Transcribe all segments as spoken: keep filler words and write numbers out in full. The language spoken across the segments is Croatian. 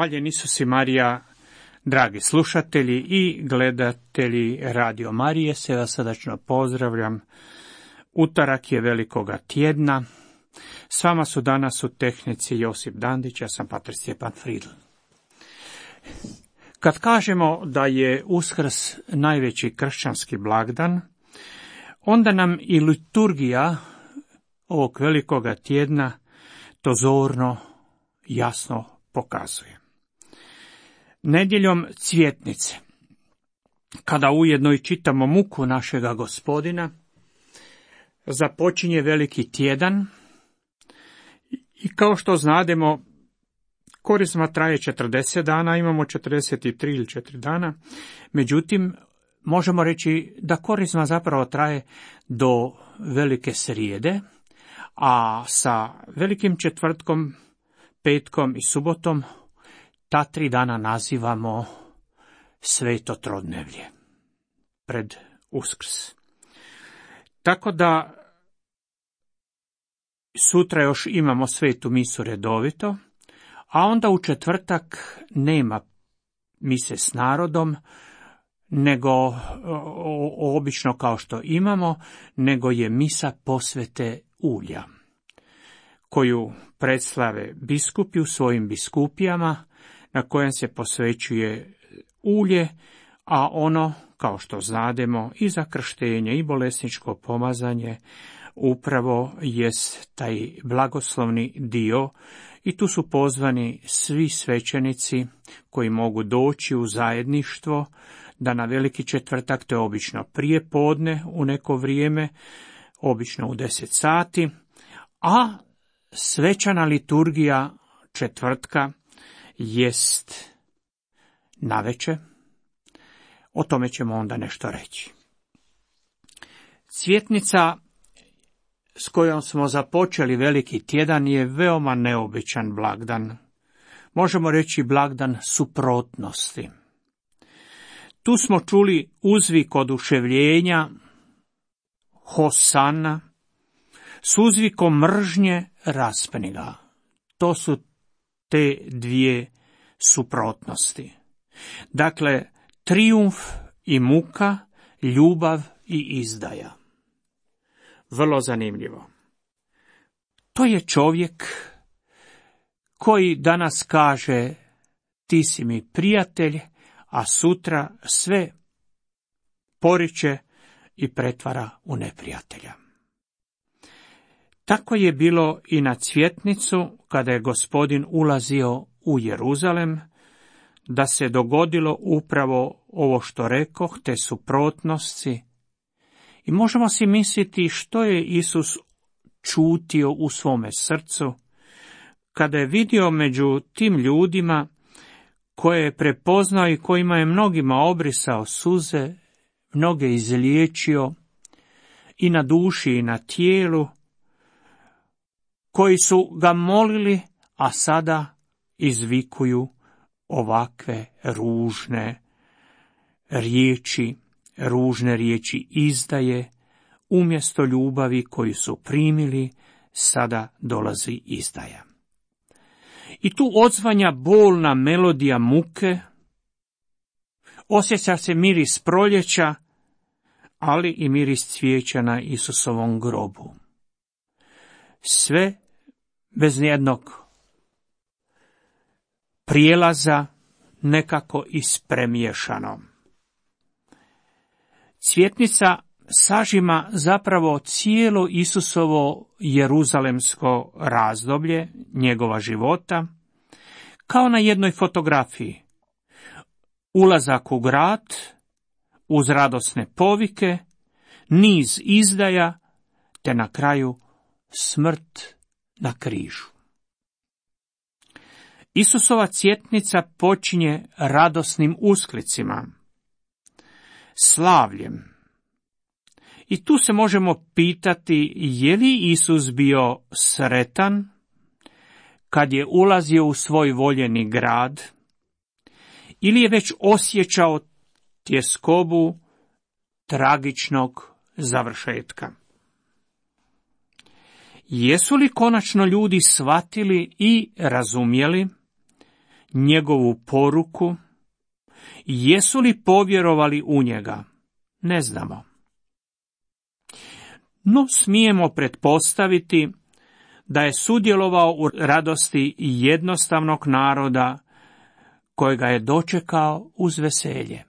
Hvaljen Isus i Marija, dragi slušatelji i gledatelji Radio Marije, sve vas srdačno pozdravljam. Utorak je velikoga tjedna. S vama su danas u tehnici Josip Dandić, ja sam pater Stjepan Fridl. Kad kažemo da je Uskrs najveći kršćanski blagdan, onda nam i liturgija ovog velikoga tjedna to zorno, jasno pokazuje. Nedjeljom Cvjetnice, kada ujedno i čitamo muku našega Gospodina, započinje veliki tjedan i kao što znademo, Korizma traje četrdeset dana, imamo četrdeset tri ili četiri dana, međutim, možemo reći da Korizma zapravo traje do Velike srijede, a sa Velikim četvrtkom, petkom i subotom ta tri dana nazivamo Sveto trodnevlje, pred Uskrs. Tako da sutra još imamo svetu misu redovito, a onda u četvrtak nema mise s narodom, nego o, o, obično kao što imamo, nego je misa posvete ulja, koju predslave biskupi u svojim biskupijama, na kojem se posvećuje ulje, a ono, kao što znademo, i za krštenje i bolesničko pomazanje, upravo jest taj blagoslovni dio, i tu su pozvani svi svećenici koji mogu doći u zajedništvo, da na Veliki četvrtak, to je obično prije podne u neko vrijeme, obično u deset sati, a svečana liturgija četvrtka jest navečer. O tome ćemo onda nešto reći. Cvjetnica s kojom smo započeli veliki tjedan je veoma neobičan blagdan. Možemo reći blagdan suprotnosti. Tu smo čuli uzvik oduševljenja, Hosana, s uzvikom mržnje, raspni ga. To su te dvije suprotnosti. Dakle, trijumf i muka, ljubav i izdaja. Vrlo zanimljivo. To je čovjek koji danas kaže ti si mi prijatelj, a sutra sve poriče i pretvara u neprijatelja. Tako je bilo i na Cvjetnicu, kada je Gospodin ulazio u Jeruzalem, da se dogodilo upravo ovo što rekoh, te suprotnosti. I možemo si misliti što je Isus čutio u svome srcu, kada je vidio među tim ljudima koje je prepoznao i kojima je mnogima obrisao suze, mnoge izliječio i na duši i na tijelu, koji su ga molili, a sada izvikuju ovakve ružne riječi, ružne riječi izdaje, umjesto ljubavi koju su primili, sada dolazi izdaja. I tu odzvanja bolna melodija muke, osjeća se miris proljeća, ali i miris cvijeća na Isusovom grobu. Sve bez nijednog prijelaza, nekako ispremiješano. Cvjetnica sažima zapravo cijelo Isusovo jeruzalemsko razdoblje njegova života, kao na jednoj fotografiji. Ulazak u grad, uz radosne povike, niz izdaja, te na kraju smrt na križu. Isusova cvjetnica počinje radosnim usklicima, slavljem. I tu se možemo pitati, je li Isus bio sretan kad je ulazio u svoj voljeni grad, ili je već osjećao tjeskobu tragičnog završetka? Jesu li konačno ljudi shvatili i razumjeli njegovu poruku? Jesu li povjerovali u njega? Ne znamo. No smijemo pretpostaviti da je sudjelovao u radosti jednostavnog naroda kojega je dočekao uz veselje.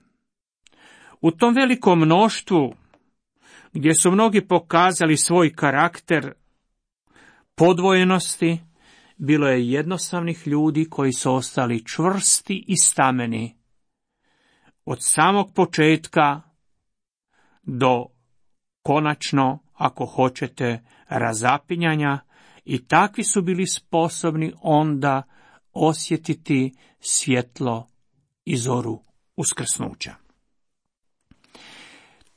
U tom velikom mnoštvu, gdje su mnogi pokazali svoj karakter podvojenosti, bilo je jednostavnih ljudi koji su ostali čvrsti i stameni od samog početka do konačno, ako hoćete, razapinjanja, i takvi su bili sposobni onda osjetiti svjetlo i zoru uskrsnuća.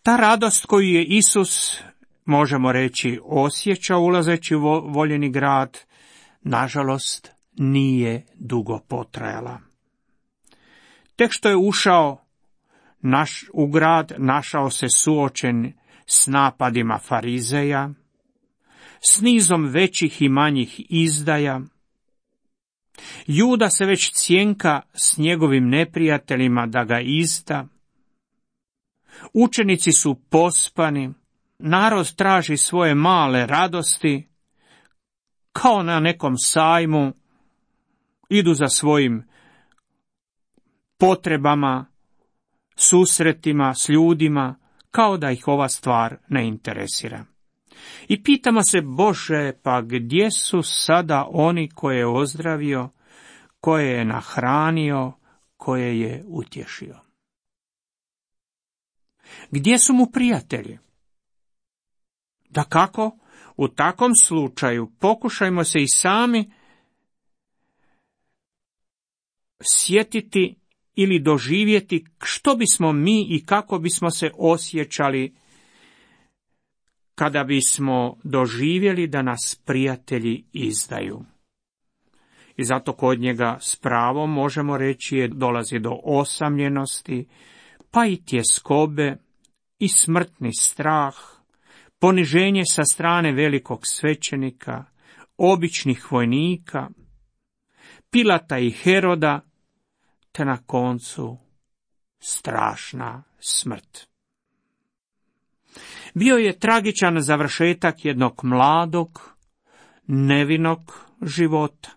Ta radost koju je Isus, možemo reći, osjećao ulazeći u voljeni grad, nažalost, nije dugo potrajala. Tek što je ušao naš, u grad, našao se suočen s napadima farizeja, s nizom većih i manjih izdaja. Juda se već cjenka s njegovim neprijateljima da ga izda. Učenici su pospani, narod traži svoje male radosti, kao na nekom sajmu, idu za svojim potrebama, susretima s ljudima, kao da ih ova stvar ne interesira. I pitamo se, Bože, pa gdje su sada oni koje je ozdravio, koje je nahranio, koje je utješio? Gdje su mu prijatelji? Dakako, u takvom slučaju pokušajmo se i sami sjetiti ili doživjeti što bismo mi i kako bismo se osjećali kada bismo doživjeli da nas prijatelji izdaju. I zato kod njega s pravom možemo reći je dolazi do osamljenosti, pa i tjeskobe i smrtni strah, poniženje sa strane velikog svećenika, običnih vojnika, Pilata i Heroda, te na koncu strašna smrt. Bio je tragičan završetak jednog mladog, nevinog života.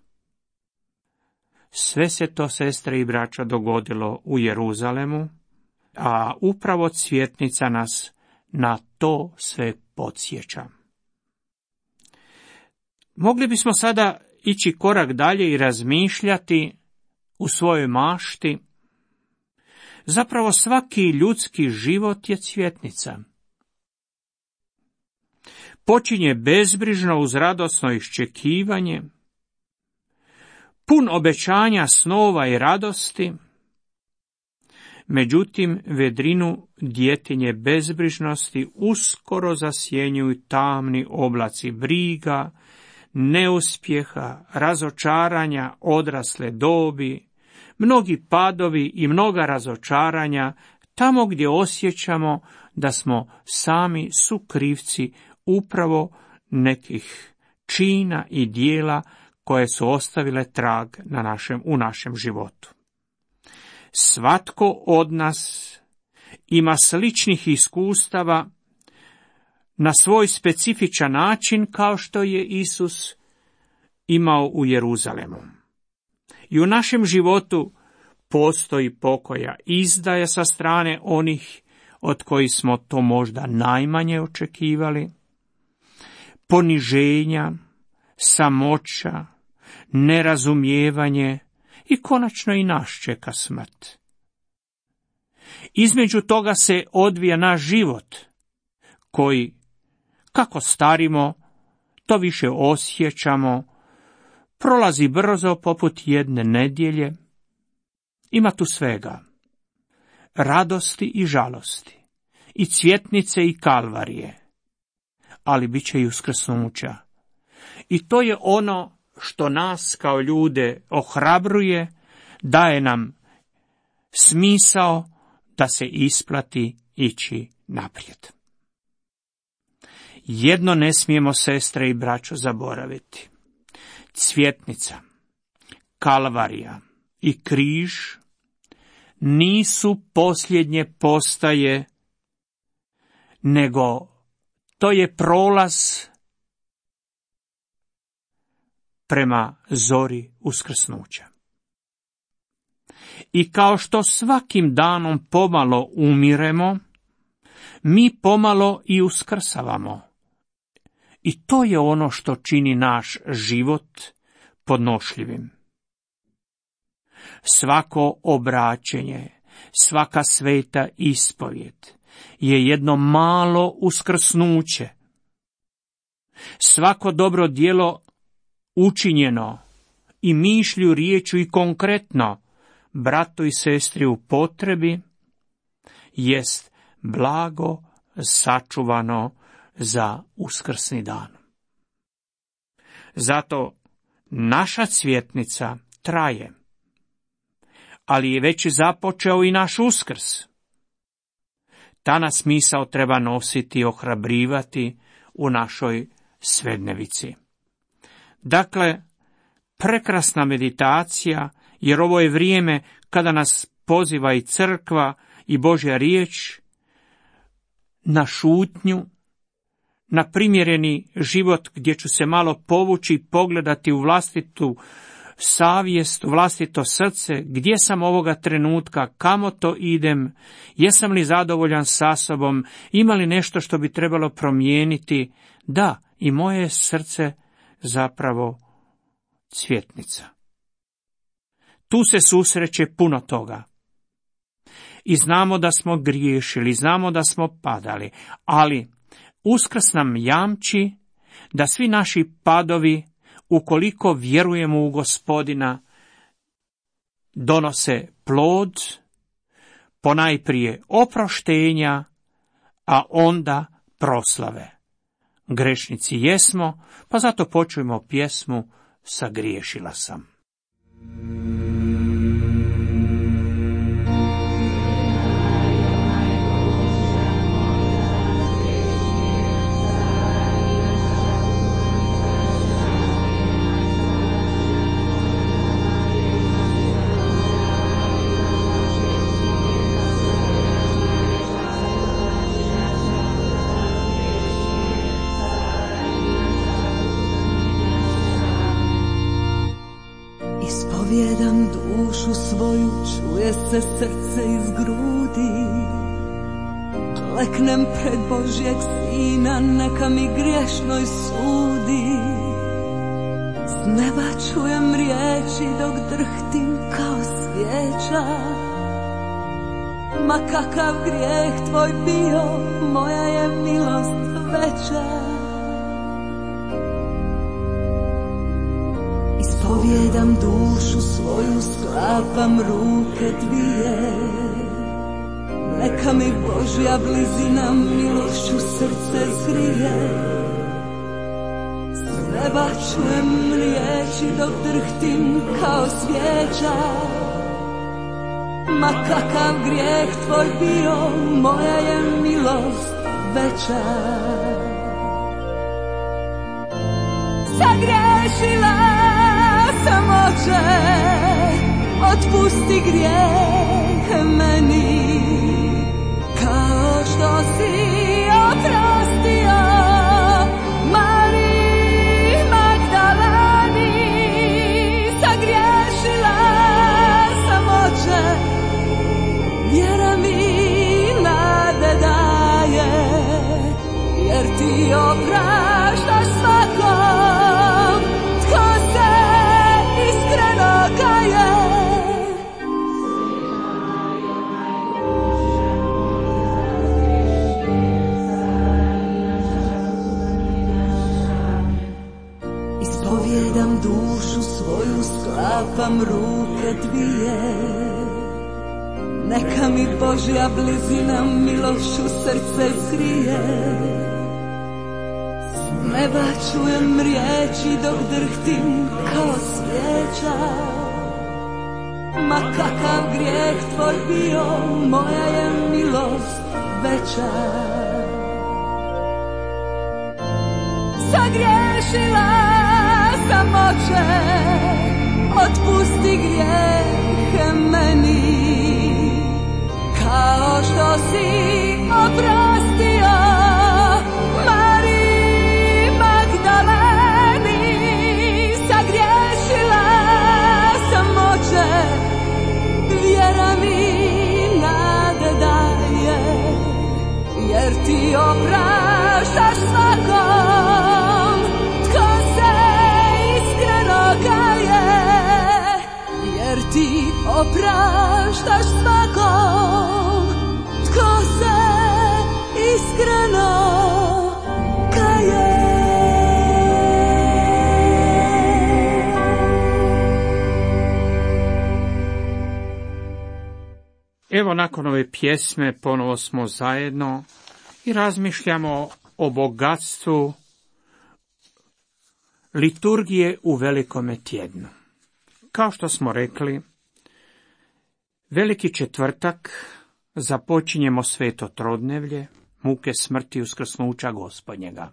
Sve se to, sestre i braća, dogodilo u Jeruzalemu, a upravo cvjetnica nas na to sve podsjeća. Mogli bismo sada ići korak dalje i razmišljati u svojoj mašti. Zapravo svaki ljudski život je cvjetnica. Počinje bezbrižno uz radosno iščekivanje, pun obećanja, snova i radosti, međutim vedrinu djetinje bezbrižnosti uskoro zasjenjuju tamni oblaci briga, neuspjeha, razočaranja odrasle dobi, mnogi padovi i mnoga razočaranja tamo gdje osjećamo da smo sami sukrivci upravo nekih čina i dijela koje su ostavile trag na našem, u našem životu. Svatko od nas ima sličnih iskustava na svoj specifičan način kao što je Isus imao u Jeruzalemu. I u našem životu postoji pokoja izdaja sa strane onih od kojih smo to možda najmanje očekivali, poniženja, samoća, nerazumijevanje i konačno i nas čeka smrt. Između toga se odvija naš život, koji, kako starimo, to više osjećamo, prolazi brzo poput jedne nedjelje. Ima tu svega, radosti i žalosti, i cvjetnice i kalvarije, ali bit će i uskrsnuća. I to je ono što nas kao ljude ohrabruje, daje nam smisao da se isplati ići naprijed. Jedno ne smijemo, sestre i braćo, zaboraviti. Cvjetnica, kalvarija, i križ nisu posljednje postaje, nego to je prolaz prema zori uskrsnuća. I kao što svakim danom pomalo umiremo, mi pomalo i uskrsavamo. I to je ono što čini naš život podnošljivim. Svako obraćenje, svaka sveta ispovjed je jedno malo uskrsnuće. Svako dobro djelo učinjeno i mišlju, riječju i konkretno bratu i sestri u potrebi jest blago sačuvano za uskrsni dan. Zato naša cvjetnica traje, ali je već započeo i naš uskrs. Ta nas misao treba nositi i ohrabrivati u našoj svednevici. Dakle, prekrasna meditacija, jer ovo je vrijeme kada nas poziva i crkva i Božja riječ na šutnju, na primjereni život gdje ću se malo povući i pogledati u vlastitu savjest, u vlastito srce, gdje sam ovoga trenutka, kamo to idem, jesam li zadovoljan sa sobom, ima li nešto što bi trebalo promijeniti. Da, i moje srce zapravo cvjetnica. Tu se susreće puno toga. I znamo da smo griješili, znamo da smo padali, ali Uskrs nam jamči da svi naši padovi, ukoliko vjerujemo u Gospodina, donose plod, ponajprije oproštenja, a onda proslave. Grešnici jesmo, pa zato počujemo pjesmu Sagriješila sam. Ispovjedam dušu svoju, čuje se srce iz grudi. Kleknem pred Božjeg Sina, neka mi griješnoj sudi. S neba čujem riječi dok drhtim kao svijeća. Ma kakav grijeh tvoj bio, moja je milost veća. Ispovjedam dušu svoju, sklapam ruke dvije. Neka mi Božja blizina milošću srce zgrije. S neba čujem riječi dok drhtim kao svijeća. Ma kakav grijeh tvoj bio, moja je milost veća. Sagriješila sam, Oče, otpusti grijeh meni, kao što si oprostio Mariji Magdaleni. Sagriješila sam, Oče, vjera mi nade daje, jer ti opraštaš svakom tko se iskreno kaje. Ispovjedam dušu svoju, sklapam ruke dvije. Neka mi Božja blizina milošću srce zgrije. S neba čujem riječi dok drhtim kao svijeća. Ma kakav grijeh tvoj bio, moja je milost veća. Sagriješila sam, Oče, otpusti grijehe meni, kao što si oprostio Mariji Magdaleni. Sagriješila sam, oče, vjera mi nade daje, jer ti opraštaš svakom tko se iskreno kaje, jer ti opraštaš svakom tko se iskreno kaje. Evo, nakon ove pjesme ponovo smo zajedno i razmišljamo o bogatstvu liturgije u Velikome tjednu. Kao što smo rekli, Veliki četvrtak započinjemo sveto trodnevlje, muke smrti i uskrsnuća Gospodnjega.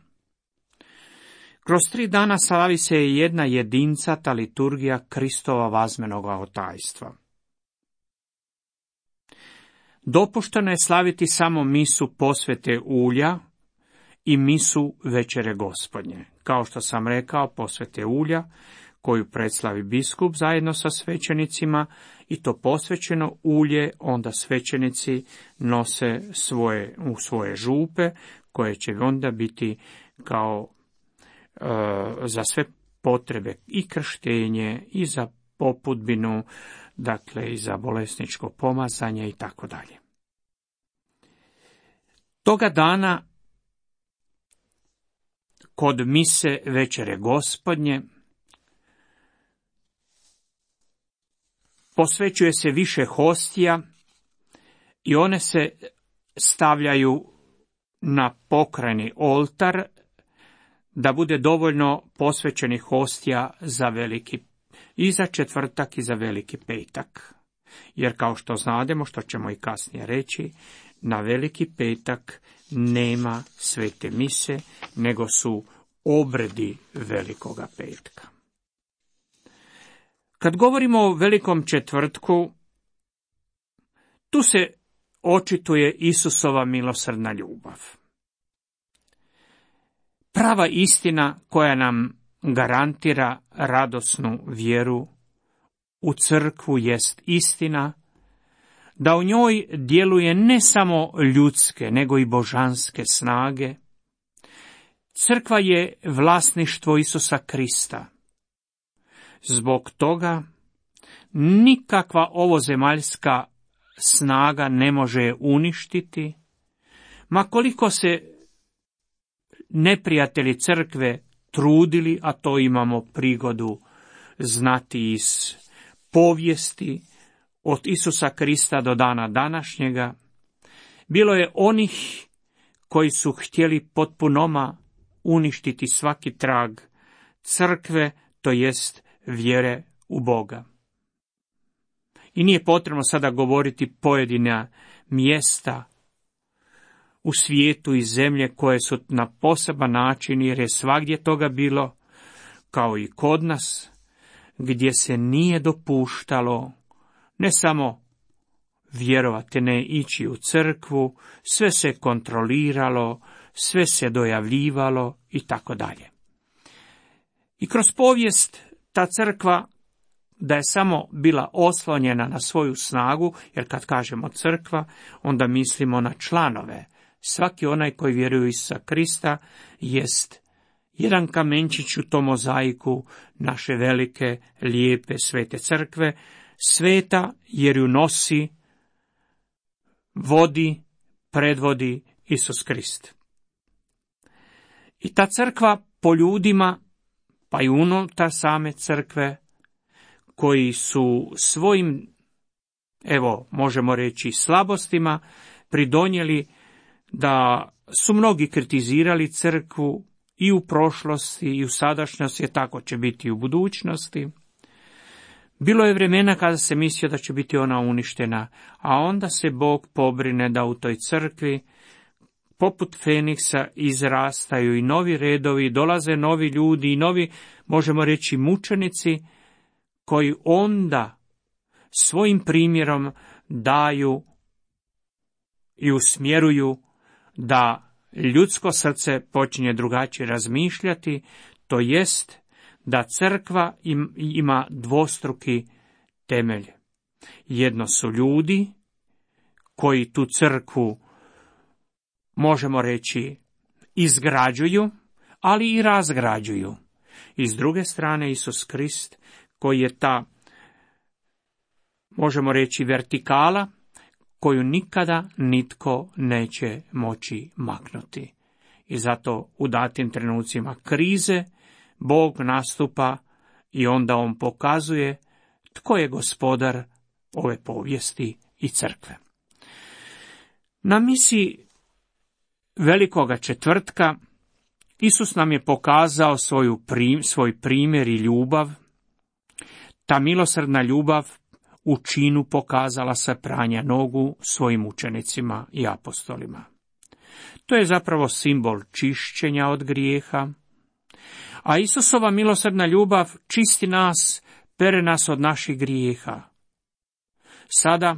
Kroz tri dana slavi se jedna jedincata liturgija Kristova vazmenoga otajstva. Dopušteno je slaviti samo misu posvete ulja i misu večere Gospodnje. Kao što sam rekao, posvete ulja koju predslavi biskup zajedno sa svećenicima, i to posvećeno ulje onda svećenici nose svoje, u svoje župe, koje će onda biti kao e, za sve potrebe i krštenje i za popudbinu, dakle i za bolesničko pomazanje i tako dalje. Toga dana kod mise večere Gospodnje posvećuje se više hostija i one se stavljaju na pokrajni oltar da bude dovoljno posvećenih hostija za veliki i za četvrtak i za Veliki petak. Jer kao što znademo, što ćemo i kasnije reći, na Veliki petak nema svete mise, nego su obredi Velikoga petka. Kad govorimo o Velikom četvrtku, tu se očituje Isusova milosrdna ljubav. Prava istina koja nam garantira radosnu vjeru u crkvu jest istina da u njoj djeluje ne samo ljudske, nego i božanske snage. Crkva je vlasništvo Isusa Krista. Zbog toga nikakva ovozemaljska snaga ne može je uništiti, ma koliko se neprijatelji crkve trudili, a to imamo prigodu znati iz povijesti, od Isusa Krista do dana današnjega. Bilo je onih koji su htjeli potpunoma uništiti svaki trag crkve, to jest vjere u Boga. I nije potrebno sada govoriti pojedina mjesta u svijetu i zemlje koje su na poseban način, jer je svagdje toga bilo, kao i kod nas, gdje se nije dopuštalo ne samo vjerovati, ne ići u crkvu, sve se kontroliralo, sve se dojavljivalo i tako dalje. I kroz povijest ta crkva, da je samo bila oslonjena na svoju snagu, jer kad kažemo crkva, onda mislimo na članove. Svaki onaj koji vjeruje u Isusa Krista jest jedan kamenčić u tom mozaiku naše velike, lijepe, svete crkve, sveta jer ju nosi, vodi, predvodi Isus Krist. I ta crkva po ljudima, pa i unutar same crkve, koji su svojim, evo, možemo reći, slabostima pridonijeli da su mnogi kritizirali crkvu i u prošlosti i u sadašnjosti, je tako će biti i u budućnosti. Bilo je vremena kada se mislio da će biti ona uništena, a onda se Bog pobrine da u toj crkvi poput Feniksa izrastaju i novi redovi, dolaze novi ljudi i novi, možemo reći, mučenici koji onda svojim primjerom daju i usmjeruju da ljudsko srce počinje drugačije razmišljati, to jest da crkva im, ima dvostruki temelj. Jedno su ljudi koji tu crkvu, možemo reći, izgrađuju, ali i razgrađuju. I s druge strane Isus Krist, koji je ta, možemo reći, vertikala, koju nikada nitko neće moći maknuti. I zato u datim trenucima krize Bog nastupa i onda on pokazuje tko je gospodar ove povijesti i crkve. Na misi Velikoga četvrtka Isus nam je pokazao svoju prim, svoj primjer i ljubav. Ta milosrdna ljubav u činu pokazala se pranja nogu svojim učenicima i apostolima. To je zapravo simbol čišćenja od grijeha, a Isusova milosrdna ljubav čisti nas, pere nas od naših grijeha. Sada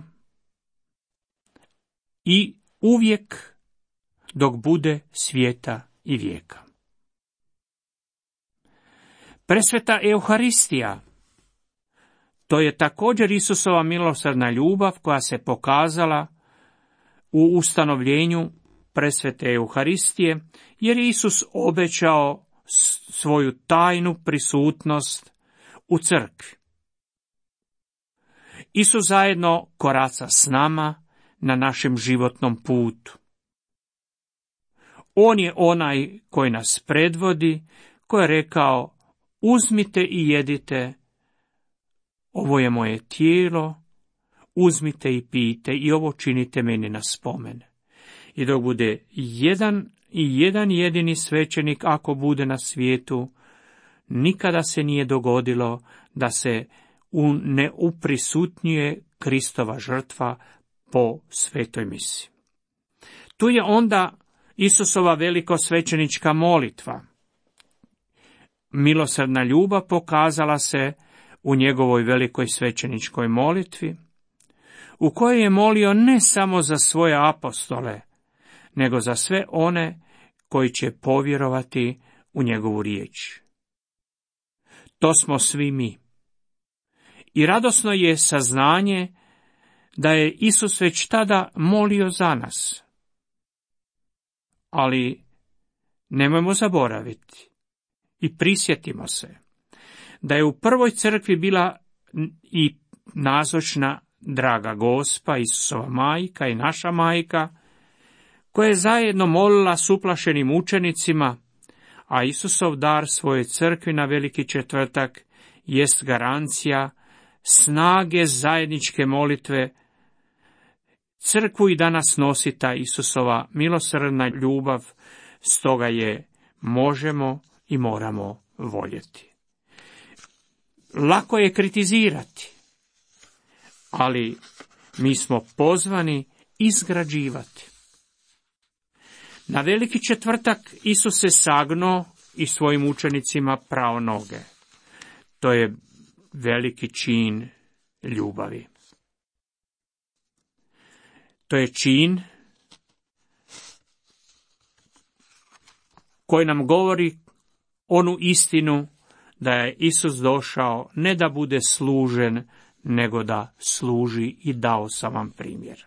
i uvijek dok bude svijeta i vijeka. Presveta Euharistija, to je također Isusova milosrdna ljubav koja se pokazala u ustanovljenju presvete Euharistije, jer je Isus obećao svoju tajnu prisutnost u crkvi. Isus zajedno koraca s nama na našem životnom putu. On je onaj koji nas predvodi, koji je rekao: uzmite i jedite, ovo je moje tijelo, uzmite i pijte i ovo činite meni na spomen. I dok bude jedan i jedan jedini svećenik, ako bude na svijetu, nikada se nije dogodilo da se ne uprisutnjuje Kristova žrtva po svetoj misi. Tu je onda Isusova velikosvećenička molitva. Milosrdna ljubav pokazala se u njegovoj velikoj svećeničkoj molitvi, u kojoj je molio ne samo za svoje apostole, nego za sve one koji će povjerovati u njegovu riječ. To smo svi mi. I radosno je saznanje da je Isus već tada molio za nas. Ali nemojmo zaboraviti i prisjetimo se da je u prvoj crkvi bila i nazočna draga Gospa, Isusova majka i naša majka, koja je zajedno molila s uplašenim učenicima, a Isusov dar svoje crkvi na Veliki četvrtak jest garancija snage zajedničke molitve. Crkvu i danas nosi ta Isusova milosrdna ljubav, stoga je možemo i moramo voljeti. Lako je kritizirati, ali mi smo pozvani izgrađivati. Na Veliki četvrtak Isus se sagnuo i svojim učenicima prao noge. To je veliki čin ljubavi. To je čin koji nam govori onu istinu da je Isus došao ne da bude služen, nego da služi, i dao sam vam primjer.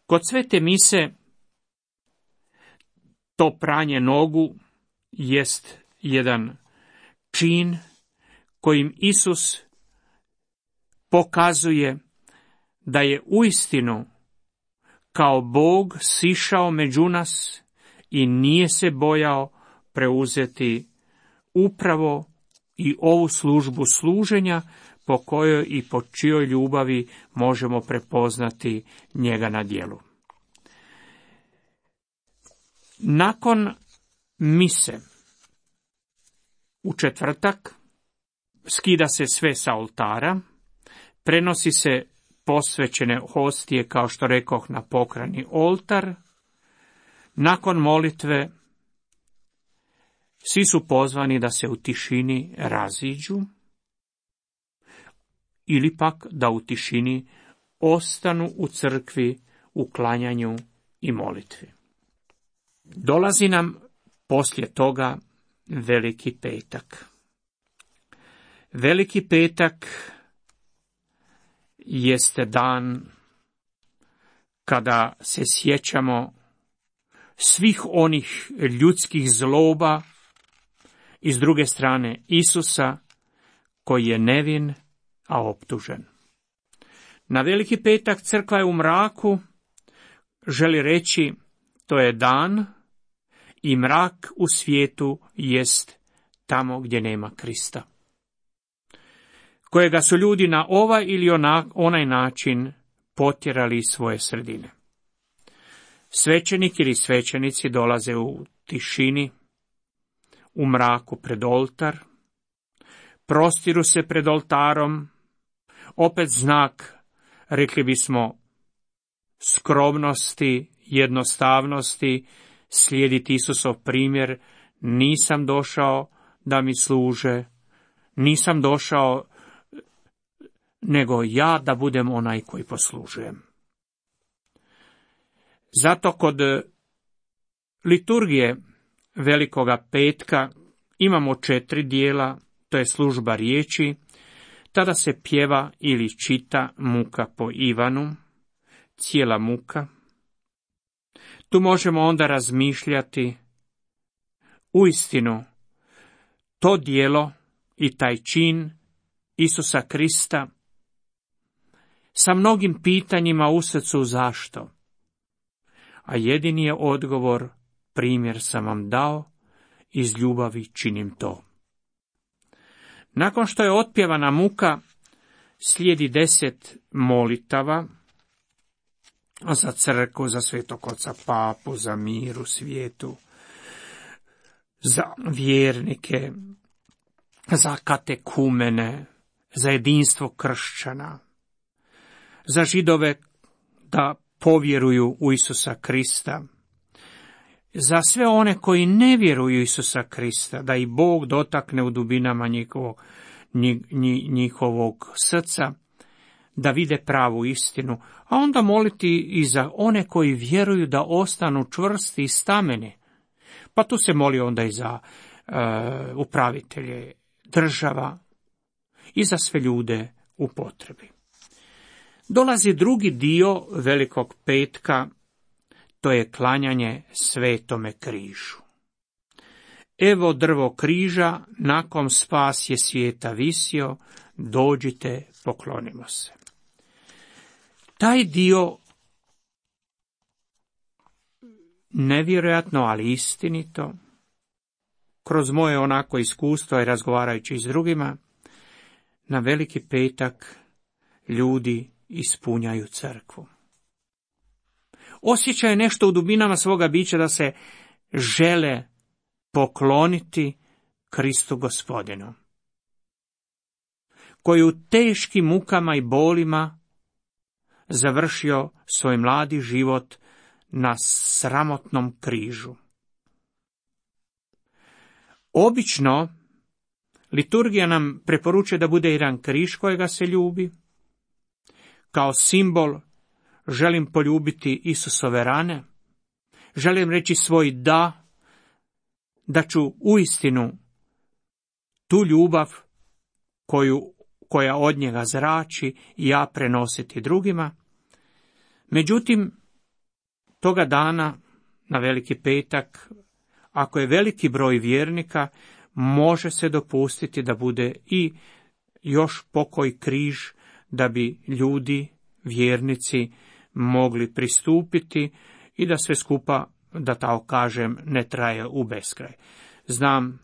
Kod svete mise to pranje nogu jest jedan čin kojim Isus pokazuje da je uistinu kao Bog sišao među nas i nije se bojao preuzeti upravo i ovu službu služenja, po kojoj i po čijoj ljubavi možemo prepoznati njega na djelu. Nakon mise u četvrtak skida se sve sa oltara, prenosi se posvećene hostije, kao što rekoh, na pokrajni oltar. Nakon molitve svi su pozvani da se u tišini raziđu. ili pak da u tišini ostanu u crkvi, u klanjanju i molitvi. Dolazi nam poslije toga Veliki petak. Veliki petak jeste dan kada se sjećamo svih onih ljudskih zloba i s druge strane Isusa koji je nevin, a optužen. Na Veliki petak crkva je u mraku, želi reći to je dan i mrak u svijetu jest tamo gdje nema Krista, kojega su ljudi na ovaj ili ona, onaj način potjerali iz svoje sredine. Svećenik ili svećenici dolaze u tišini, u mraku pred oltar, prostiru se pred oltarom, opet znak, rekli bismo, skromnosti, jednostavnosti, slijediti Isusov primjer, nisam došao da mi služe, nisam došao nego ja da budem onaj koji poslužujem. Zato kod liturgije Velikoga petka imamo četiri dijela, to je služba riječi, tada se pjeva ili čita muka po Ivanu, cijela muka. Tu možemo onda razmišljati uistinu to dijelo i taj čin Isusa Krista sa mnogim pitanjima u srcu zašto. A jedini je odgovor, primjer sam vam dao, iz ljubavi činim to. Nakon što je otpjevana muka, slijedi deset molitava za crkvu, za Svetog Oca Papu, za mir u svijetu, za vjernike, za katekumene, za jedinstvo kršćana, za Židove da povjeruju u Isusa Krista, za sve one koji ne vjeruju u Isusa Krista, da i Bog dotakne u dubinama njihovog, njihovog srca, da vide pravu istinu, a onda moliti i za one koji vjeruju da ostanu čvrsti i stameni. Pa tu se moli onda i za uh, upravitelje država i za sve ljude u potrebi. Dolazi drugi dio Velikog petka, to je klanjanje Svetome križu. Evo drvo križa, na kom spas je svijeta visio, dođite, poklonimo se. Taj dio, nevjerojatno, ali istinito, kroz moje onako iskustvo i razgovarajući s drugima, na Veliki petak ljudi ispunjaju crkvu. Osjećaju nešto u dubinama svoga bića da se žele pokloniti Kristu Gospodinu, koji u teškim mukama i bolima završio svoj mladi život na sramotnom križu. Obično, liturgija nam preporučuje da bude jedan križ kojega se ljubi. Kao simbol želim poljubiti Isusove rane, želim reći svoj da, da ću uistinu tu ljubav koju, koja od njega zrači ja prenositi drugima. Međutim, toga dana, na Veliki petak, ako je veliki broj vjernika, može se dopustiti da bude i još pokoji križ, da bi ljudi, vjernici, mogli pristupiti i da sve skupa, da tako kažem, ne traje u beskraj. Znam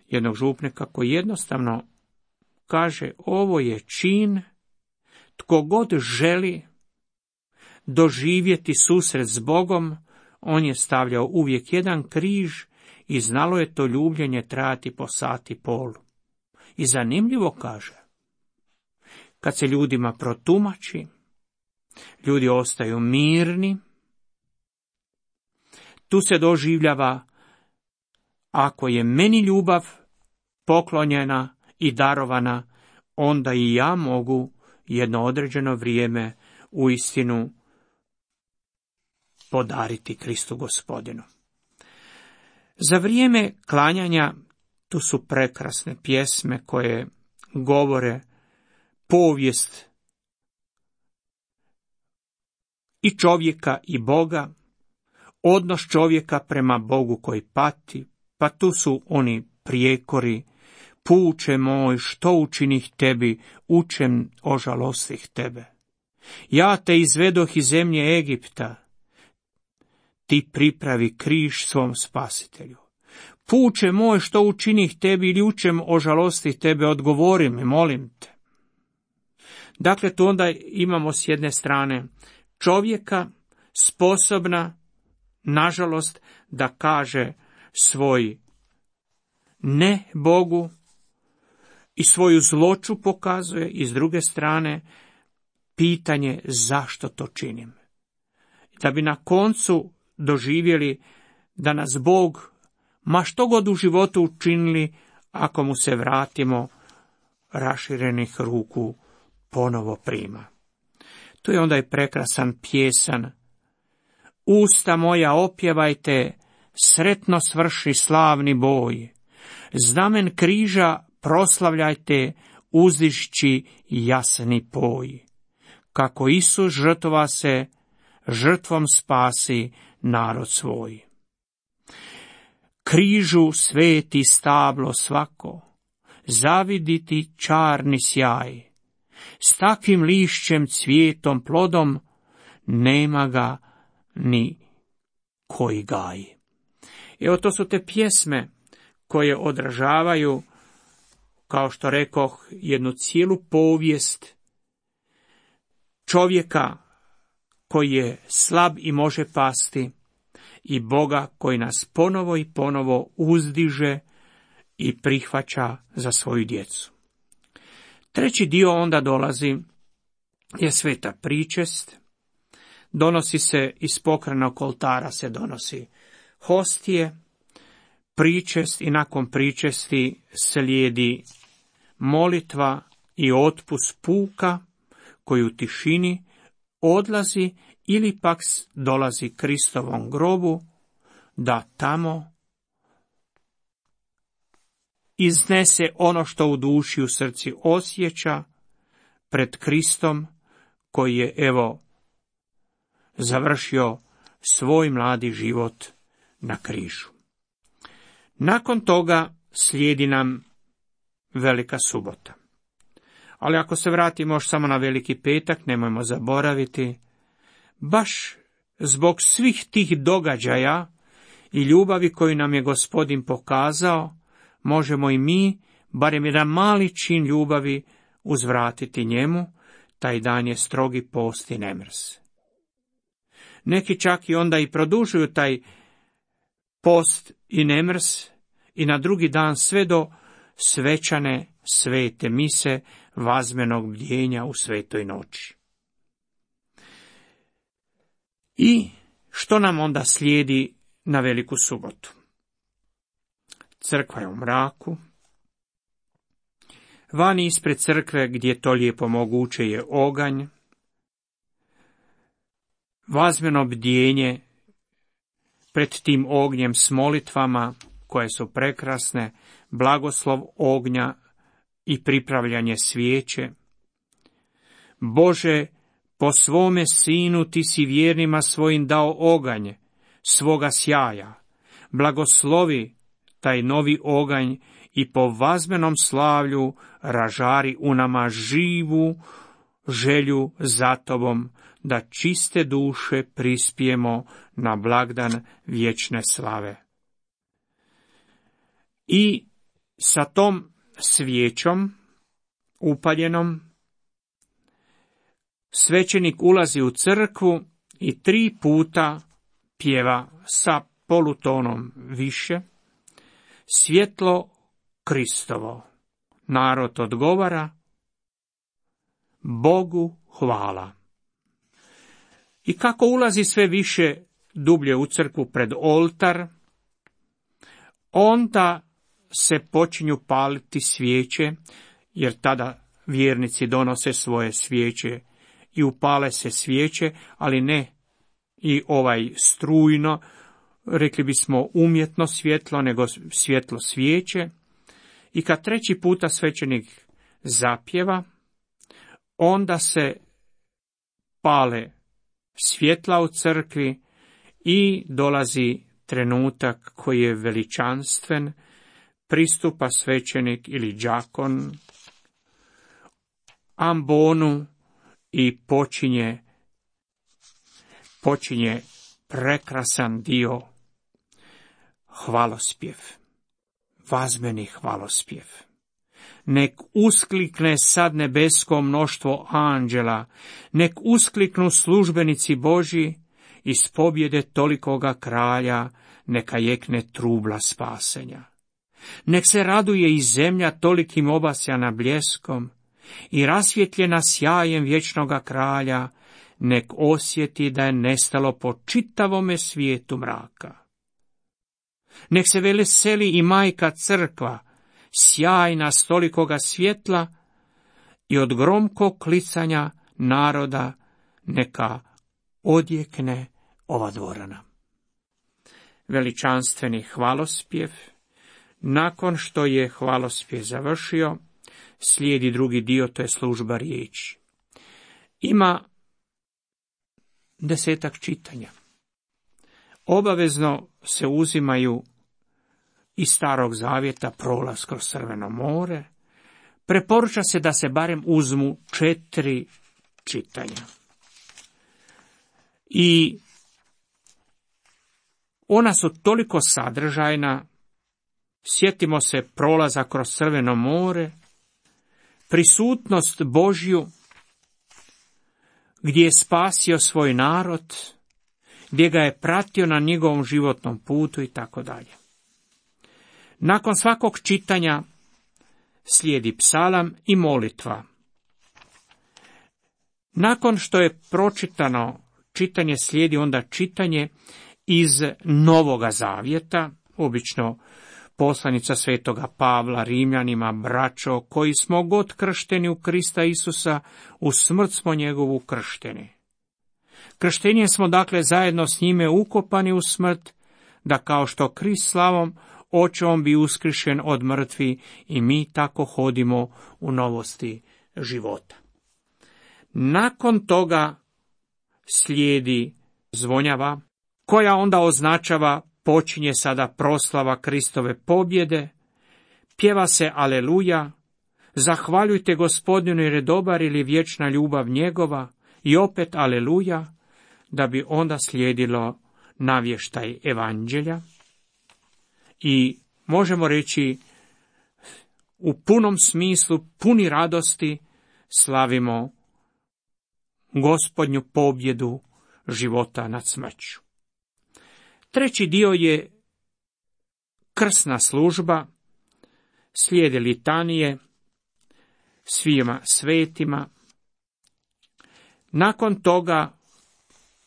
jednog župnika koji jednostavno kaže, ovo je čin, tko god želi doživjeti susret s Bogom, on je stavljao uvijek jedan križ i znalo je to ljubljenje trajati po sat i pol. I zanimljivo kaže, kad se ljudima protumači, ljudi ostaju mirni, tu se doživljava, ako je meni ljubav poklonjena i darovana, onda i ja mogu jedno određeno vrijeme uistinu podariti Kristu Gospodinu. Za vrijeme klanjanja tu su prekrasne pjesme koje govore povijest i čovjeka i Boga, odnos čovjeka prema Bogu koji pati, pa tu su oni prijekori: puče moj, što učinih tebi, učem ožalostih tebe. Ja te izvedoh iz zemlje Egipta, ti pripravi križ svom spasitelju. Puče moj, što učinih tebi ili učem ožalostih tebe, odgovori mi, molim te. Dakle, tu onda imamo s jedne strane čovjeka sposobna, nažalost, da kaže svoj ne Bogu i svoju zloću pokazuje, i s druge strane pitanje zašto to činim. Da bi na koncu doživjeli da nas Bog, ma što god u životu učinili, ako mu se vratimo, raširenih ruku ponovo prima. Tu je onda i prekrasan pjesan: usta moja opjevajte, sretno svrši slavni boj. Znamen križa proslavljajte, uzdišći jasni poj. Kako Isus žrtva se, žrtvom spasi narod svoj. Križu sveti stablo svako, zaviditi čarni sjaj. S takvim lišćem, cvijetom, plodom, nema ga ni koji gaj. Evo, to su te pjesme koje odražavaju, kao što rekoh, jednu cijelu povijest čovjeka koji je slab i može pasti, i Boga koji nas ponovo i ponovo uzdiže i prihvaća za svoju djecu. Treći dio onda dolazi je sveta pričest. Donosi se iz pokrenog oltara, se donosi hostije, pričest, i nakon pričesti slijedi molitva i otpust puka koji u tišini odlazi ili pak dolazi Kristovom grobu, da tamo iznese ono što u duši, u srci osjeća pred Kristom, koji je, evo, završio svoj mladi život na križu. Nakon toga slijedi nam Velika subota. Ali ako se vratimo još samo na Veliki petak, nemojmo zaboraviti, baš zbog svih tih događaja i ljubavi koju nam je Gospodin pokazao, možemo i mi, barem jedan mali čin ljubavi, uzvratiti njemu. Taj dan je strogi post i nemrs. Neki čak i onda i produžuju taj post i nemrs i na drugi dan sve do svečane svete mise, vazmenog bdjenja u svetoj noći. I što nam onda slijedi na Veliku subotu? Crkva je u mraku. Vani ispred crkve, gdje je to lijepo moguće, je oganj. Vazmeno bdjenje pred tim ognjem s molitvama koje su prekrasne, blagoslov ognja i pripravljanje svijeće. Bože, po svome sinu ti si vjernima svojim dao oganj svoga sjaja. Blagoslovi taj novi oganj i po vazmenom slavlju ražari u nama živu želju za tobom, da čiste duše prispijemo na blagdan vječne slave. I sa tom svijećom upaljenom svećenik ulazi u crkvu i tri puta pjeva sa polutonom više svjetlo Kristovo. Narod odgovara: Bogu hvala. I kako ulazi sve više dublje u crkvu pred oltar, onda se počinju paliti svijeće, jer tada vjernici donose svoje svijeće i upale se svijeće, ali ne i ovaj strujno, rekli bismo umjetno svjetlo, nego svjetlo svijeće. I kad treći puta svećenik zapjeva, onda se pale svjetla u crkvi i dolazi trenutak koji je veličanstven, pristupa svećenik ili đakon ambonu i počinje, počinje prekrasan dio hvalospjev, vazmeni hvalospjev. Nek usklikne sad nebesko mnoštvo anđela, nek uskliknu službenici Božji, iz pobjede tolikoga kralja, neka jekne trubla spasenja. Nek se raduje i zemlja tolikim obasjana bljeskom, i rasvjetljena sjajem vječnoga kralja, nek osjeti da je nestalo po čitavome svijetu mraka. Nek se veseli i majka crkva, sjajna s tolikoga svjetla, i od gromkog klicanja naroda neka odjekne ova dvorana. Veličanstveni hvalospjev. Nakon što je hvalospjev završio, slijedi drugi dio, to je služba riječi. Ima desetak čitanja. Obavezno se uzimaju iz Starog zavjeta prolaz kroz Crveno more. Preporuča se da se barem uzmu četiri čitanja. I ona su toliko sadržajna, sjetimo se prolaza kroz Crveno more, prisutnost Božju, gdje je spasio svoj narod, gdje ga je pratio na njegovom životnom putu i tako dalje. Nakon svakog čitanja slijedi psalam i molitva. Nakon što je pročitano čitanje, slijedi onda čitanje iz Novoga zavjeta, obično poslanica svetoga Pavla Rimljanima: braćo, koji smo god kršteni u Krista Isusa, u smrt smo njegovu kršteni. Krštenjem smo dakle zajedno s njime ukopani u smrt, da kao što Krist slavom očevom bi uskrišen od mrtvi, i mi tako hodimo u novosti života. Nakon toga slijedi zvonjava, koja onda označava počinje sada proslava Kristove pobjede, pjeva se aleluja, zahvaljujte Gospodinu jer je dobar, ili vječna ljubav njegova, i opet aleluja, da bi onda slijedilo navještaj evanđelja. I možemo reći, u punom smislu, puni radosti, slavimo Gospodnju pobjedu života nad smrću. Treći dio je krsna služba, slijede litanije svima svetima. Nakon toga,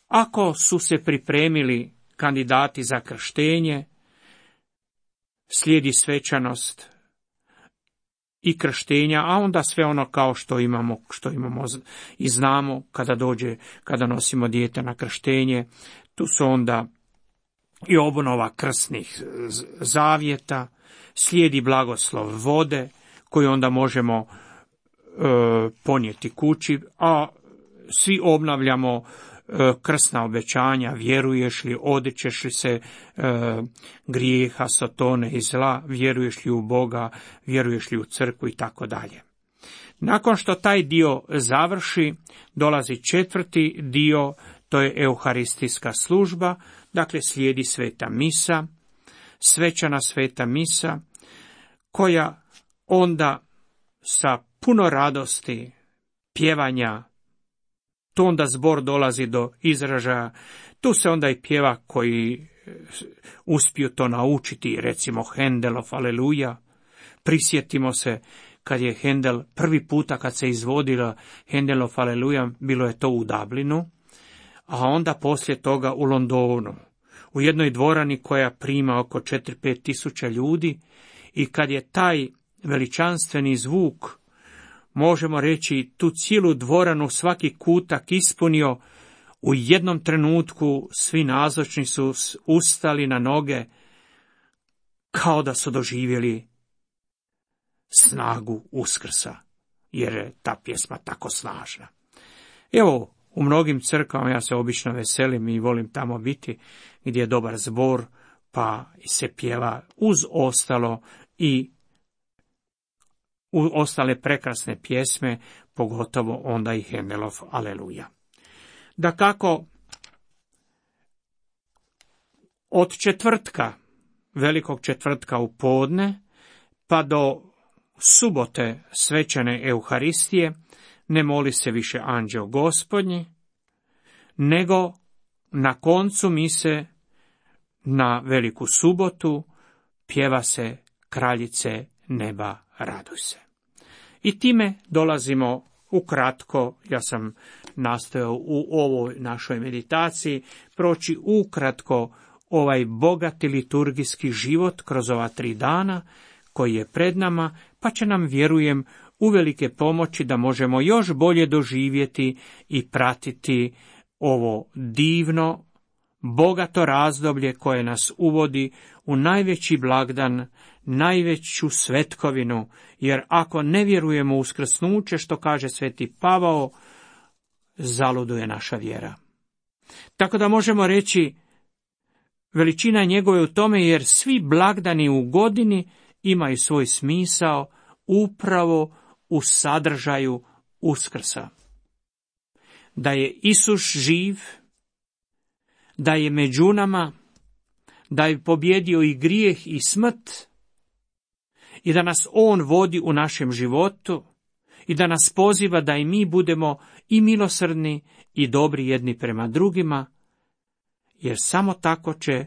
ako su se pripremili kandidati za krštenje, slijedi svečanost i krštenja, a onda sve ono kao što imamo, što imamo i znamo kada dođe, kada nosimo dijete na krštenje. Tu su onda i obnova krsnih zavjeta, slijedi blagoslov vode, koju onda možemo e, ponijeti kući, a svi obnavljamo e, krsna obećanja: vjeruješ li, odričeš li se e, grijeha, sotone i zla, vjeruješ li u Boga, vjeruješ li u crkvu i tako dalje. Nakon što taj dio završi, dolazi četvrti dio, to je euharistijska služba, dakle slijedi sveta misa, svečana sveta misa, koja onda sa puno radosti, pjevanja, tu onda zbor dolazi do izražaja, tu se onda i pjeva koji uspiju to naučiti, recimo Hendelov Aleluja. Prisjetimo se kad je Hendel prvi puta kad se izvodila Hendelov Aleluja, bilo je to u Dublinu, a onda poslije toga u Londonu, u jednoj dvorani koja prima oko četiri pet tisuća ljudi, i kad je taj veličanstveni zvuk možemo reći, tu cijelu dvoranu, svaki kutak ispunio. U jednom trenutku svi nazočni su ustali na noge, kao da su doživjeli snagu Uskrsa, jer je ta pjesma tako snažna. Evo, u mnogim crkvama ja se obično veselim i volim tamo biti, gdje je dobar zbor, pa se pjeva uz ostalo i u ostale prekrasne pjesme, pogotovo onda i Hendelov Aleluja. Dakako, od četvrtka, velikog četvrtka u podne, pa do subote svečane Euharistije, ne moli se više Anđeo Gospodnji, nego na koncu mise na veliku subotu pjeva se Kraljice neba, raduj se. I time dolazimo ukratko, ja sam nastojao u ovoj našoj meditaciji proći ukratko ovaj bogati liturgijski život kroz ova tri dana koji je pred nama, pa će nam, vjerujem, uvelike pomoći da možemo još bolje doživjeti i pratiti ovo divno, bogato razdoblje koje nas uvodi u najveći blagdan, najveću svetkovinu, jer ako ne vjerujemo u uskrsnuće, što kaže sveti Pavao, zaluduje naša vjera. Tako da možemo reći, veličina njegove u tome, jer svi blagdani u godini imaju svoj smisao upravo u sadržaju Uskrsa. Da je Isus živ, da je među nama, da je pobjedio i grijeh i smrt, i da nas on vodi u našem životu, i da nas poziva da i mi budemo i milosrdni i dobri jedni prema drugima, jer samo tako će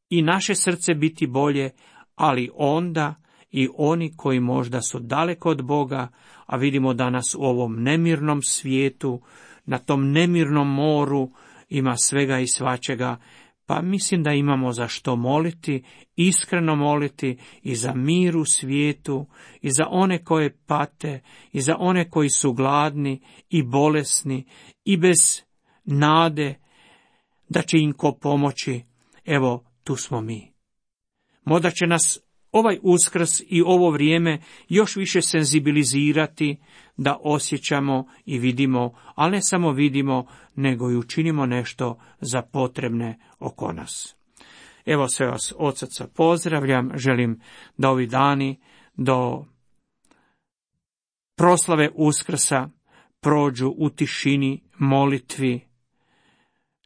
i naše srce biti bolje, ali onda i oni koji možda su daleko od Boga, a vidimo danas u ovom nemirnom svijetu, na tom nemirnom moru ima svega i svačega, pa mislim da imamo za što moliti, iskreno moliti i za mir u svijetu, i za one koje pate, i za one koji su gladni i bolesni i bez nade da će im ko pomoći. Evo, tu smo mi. Možda će nas ovaj Uskrs i ovo vrijeme još više senzibilizirati da osjećamo i vidimo, ali ne samo vidimo, nego i učinimo nešto za potrebne oko nas. Evo, sve vas od srca pozdravljam, želim da ovi dani do proslave Uskrsa prođu u tišini, molitvi,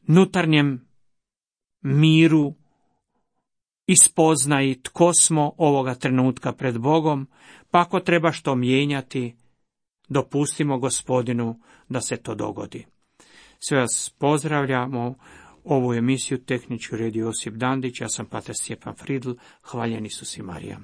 nutarnjem miru i spoznaji tko smo ovoga trenutka pred Bogom, pa ako treba što mijenjati, dopustimo Gospodinu da se to dogodi. Sve vas pozdravljamo, ovu emisiju tehnički redio Josip Dandić, ja sam pater Stjepan Fridl, hvaljen Isus i Marija.